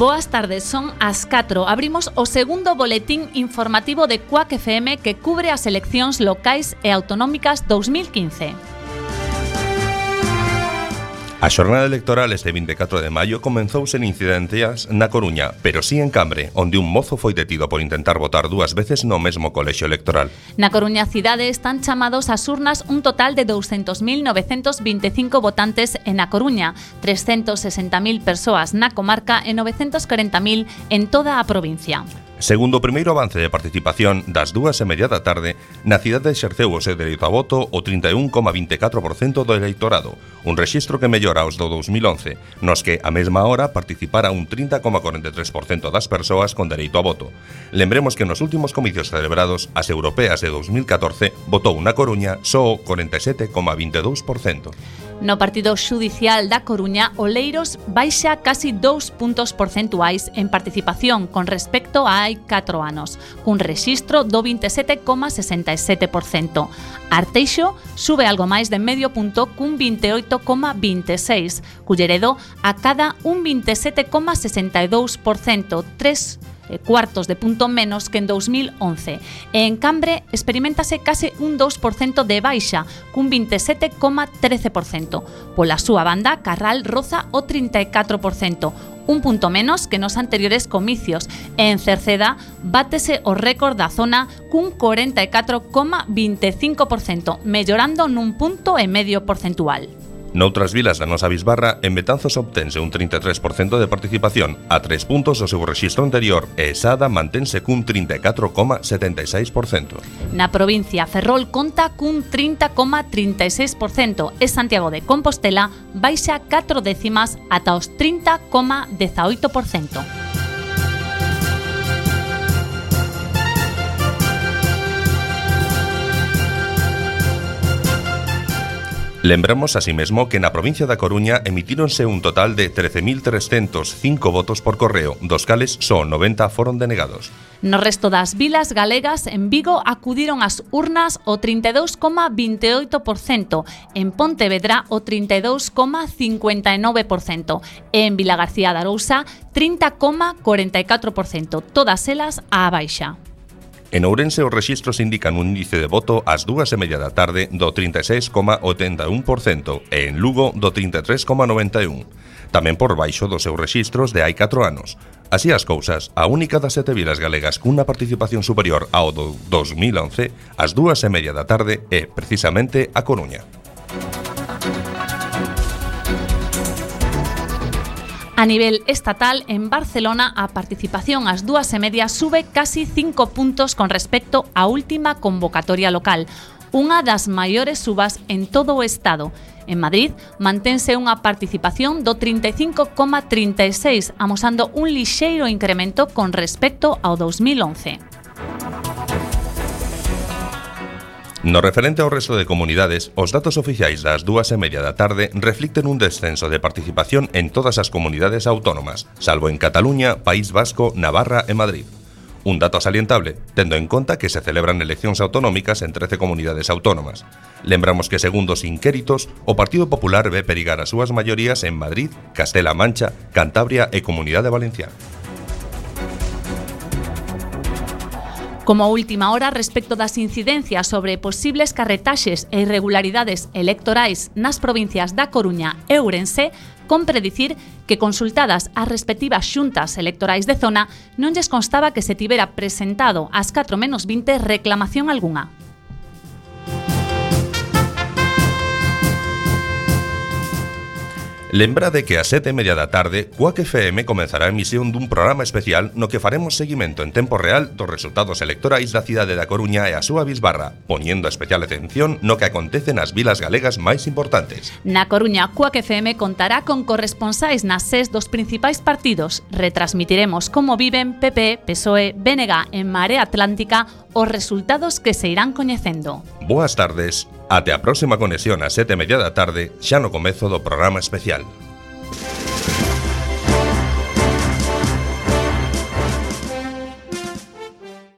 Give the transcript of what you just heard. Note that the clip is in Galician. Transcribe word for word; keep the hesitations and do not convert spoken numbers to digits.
Boas tardes, son as catro. Abrimos o segundo boletín informativo de Cuac F M que cubre as eleccións locais e autonómicas dous mil quince. A xornada electoral este vinte e catro de maio comenzou sen incidencias na Coruña, pero sí en Cambre, onde un mozo foi detido por intentar votar dúas veces no mesmo colexio electoral. Na Coruña cidade están chamados ás urnas un total de douscentos mil novecentos vinte e cinco votantes en A Coruña, trescentos sesenta mil persoas na comarca e novecentos corenta mil en toda a provincia. Segundo o primeiro avance de participación das dúas e media da tarde, na cidade exerceu o seu dereito a voto o trinta e un coma vinte e catro por cento do eleitorado, un rexistro que mellora aos do dous mil once, nos que a mesma hora participara un trinta coma corenta e tres por cento das persoas con dereito a voto. Lembremos que nos últimos comicios celebrados, as europeas de dous mil catorce, votou na Coruña só o corenta e sete coma vinte e dous por cento. No partido xudicial da Coruña, Oleiros baixa casi dous puntos porcentuais en participación con respecto a hai catro anos, cun rexistro do vinte e sete coma sesenta e sete por cento. Arteixo sube algo máis de medio punto cun vinte e oito coma vinte e seis, Culleredo acada un vinte e sete coma sesenta e dous por cento, tres cuartos de punto menos que en dous mil once. E en Cambre experimentase case un dous por cento de baixa, cun vinte e sete coma trece por cento. Pola súa banda, Carral roza o trinta e catro por cento, un punto menos que nos anteriores comicios, e en Cerceda bátese o récord da zona cun corenta e catro coma vinte e cinco por cento, mellorando nun punto e medio porcentual. Noutras vilas da nosa bisbarra, en Betanzos obtense un trinta e tres por cento de participación, a tres puntos do seu rexistro anterior, e Sada mantense cun trinta e catro coma setenta e seis por cento. Na provincia, Ferrol conta cun trinta coma trinta e seis por cento e Santiago de Compostela baixa catro décimas ata os trinta coma dezaoito por cento. Lembramos así mesmo que na provincia da Coruña emitíronse un total de trece mil trescentos cinco votos por correo, dos cales só noventa foron denegados. No resto das vilas galegas, en Vigo acudiron ás urnas o trinta e dous coma vinte e oito por cento, en Pontevedra o trinta e dous coma cincuenta e nove por cento e en Vilagarcía de Arousa trinta coma corenta e catro por cento, todas elas á baixa. En Ourense os rexistros indican un índice de voto ás dúas e media da tarde do trinta e seis coma oitenta e un por cento e en Lugo do trinta e tres coma noventa e un, tamén por baixo dos seus rexistros de hai catro anos. Así as cousas, a única das sete vilas galegas cunha participación superior ao do dous mil once, ás dúas e media da tarde, é precisamente a Coruña. A nivel estatal, en Barcelona, a participación ás dúas e media sube casi cinco puntos con respecto á última convocatoria local, unha das maiores subas en todo o Estado. En Madrid, mantense unha participación do trinta e cinco coma trinta e seis, amosando un lixeiro incremento con respecto ao dous mil once. No referente ao resto de comunidades, os datos oficiais das dúas e media da tarde reflicten un descenso de participación en todas as comunidades autónomas, salvo en Cataluña, País Vasco, Navarra e Madrid. Un dato salientable, tendo en conta que se celebran eleccións autonómicas en trece comunidades autónomas. Lembramos que, segundo os inquéritos, o Partido Popular ve perigar as súas maiorías en Madrid, Castela-A Mancha, Cantabria e Comunidade Valenciana. Como última hora, respecto das incidencias sobre posibles carretaxes e irregularidades electorais nas provincias da Coruña e Ourense, compre dicir que consultadas as respectivas xuntas electorais de zona non lles constaba que se tivera presentado ás catro menos vinte reclamación algunha. Lembrade que a sete e media da tarde, Cuac F M comenzará a emisión dun programa especial no que faremos seguimento en tempo real dos resultados electorais da cidade da Coruña e a súa bisbarra, poñendo especial atención no que acontece nas vilas galegas máis importantes. Na Coruña, Cuac F M contará con corresponsais nas ses dos principais partidos. Retransmitiremos como viven P P, P S O E, B N G en Marea Atlántica os resultados que se irán coñecendo. Boas tardes, até a próxima conexión a sete e media da tarde, xa no comezo do programa especial.